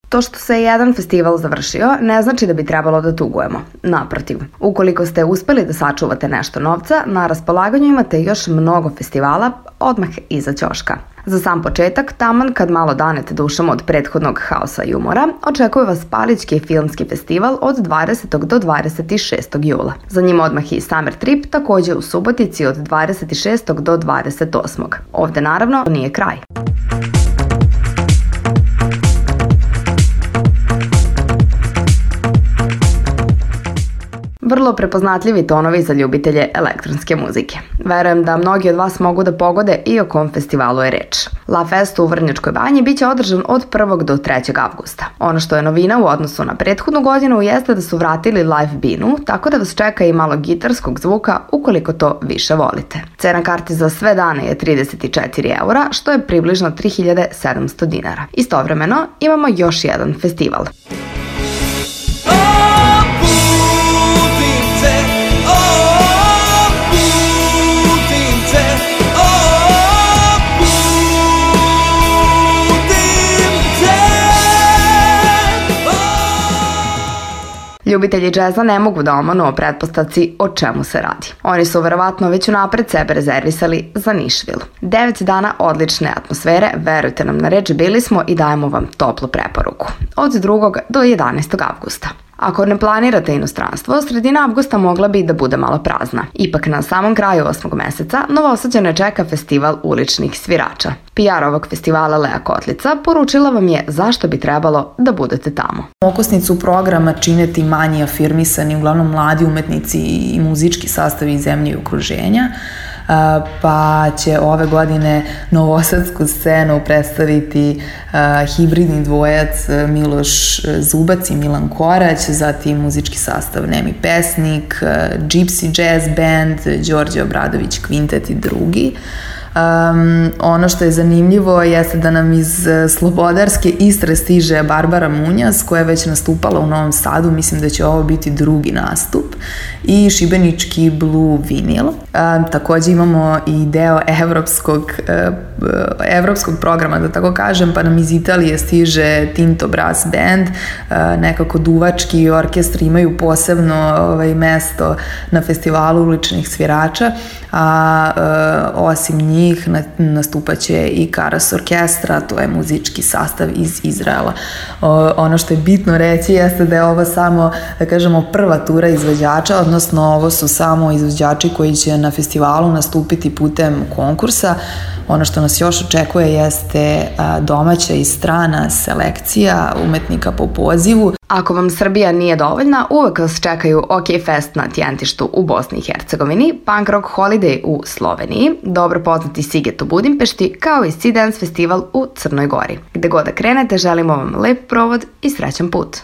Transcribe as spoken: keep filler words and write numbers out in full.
To što se jedan festival završio ne znači da bi trebalo da tugujemo. Naprotiv, ukoliko ste uspeli da sačuvate nešto novca, na raspolaganju imate još mnogo festivala odmah iza ćoška. Za sam početak, taman kad malo danete dušom od prethodnog haosa i umora, očekuje vas Palićki filmski festival od dvadesetog do dvadeset šestog jula. Za njim odmah i Summer Trip, takođe u Subotici od dvadeset šestog do dvadeset osmog Ovde naravno nije kraj. Vrlo prepoznatljivi tonovi za ljubitelje elektronske muzike. Verujem da mnogi od vas mogu da pogode i o kom festivalu je reč. La Fest u Vrnjačkoj Banji biće održan od prvog do trećeg avgusta. Ono što je novina u odnosu na prethodnu godinu jeste da su vratili live binu, tako da vas čeka i malo gitarskog zvuka ukoliko to više volite. Cena karti za sve dane je trideset četiri eura, što je približno tri hiljade sedamsto dinara. Istovremeno imamo još jedan festival. Ljubitelji džeza ne mogu da omanu o pretpostavci o čemu se radi. Oni su verovatno već unapred sebe rezervisali za Nišvilu. Devet dana odlične atmosfere, verujte nam na reč, bili smo i dajemo vam toplu preporuku. Od drugog do jedanaestog avgusta. Ako ne planirate inostranstvo, sredina avgusta mogla bi da bude malo prazna. Ipak na samom kraju osmog meseca Novosađane čeka festival uličnih svirača. P R ovog festivala Lea Kotlica poručila vam je zašto bi trebalo da budete tamo. Okosnicu programa čine ti manji afirmisani, uglavnom mladi umetnici i muzički sastavi iz zemlje i okruženja, pa će ove godine novosadsku scenu predstaviti hibridni dvojac Miloš Zubac i Milan Korać, zatim muzički sastav Nemi Pesnik, Gypsy Jazz Band, Đorđe Obradović Kvintet i drugi. Um, ono što je zanimljivo jeste da nam iz Slobodarske Istre stiže Barbara Munjas, koja je već nastupala u Novom Sadu, mislim da će ovo biti drugi nastup, i šibenički Blue Vinyl. Um, takođe imamo i deo evropskog, uh, evropskog programa, da tako kažem, pa nam iz Italije stiže Tinto Brass Band, uh, nekako duvački orkestri imaju posebno ovaj, mesto na festivalu uličnih svirača, a uh, osim njih nastupaće i Karas Orkestra, to je muzički sastav iz Izraela. O, ono što je bitno reći jeste da je ovo samo, da kažemo, prva tura izvođača, odnosno ovo su samo izvođači koji će na festivalu nastupiti putem konkursa. Ono što nas još očekuje jeste domaća i strana selekcija umetnika po pozivu. Ako vam Srbija nije dovoljna, uvek vas čekaju OK Fest na Tjentištu u Bosni i Hercegovini, Punk Rock Holiday u Sloveniji, dobro poznati Siget u Budimpešti, kao i Sea Dance Festival u Crnoj Gori. Gde god da krenete, želimo vam lep provod i srećan put.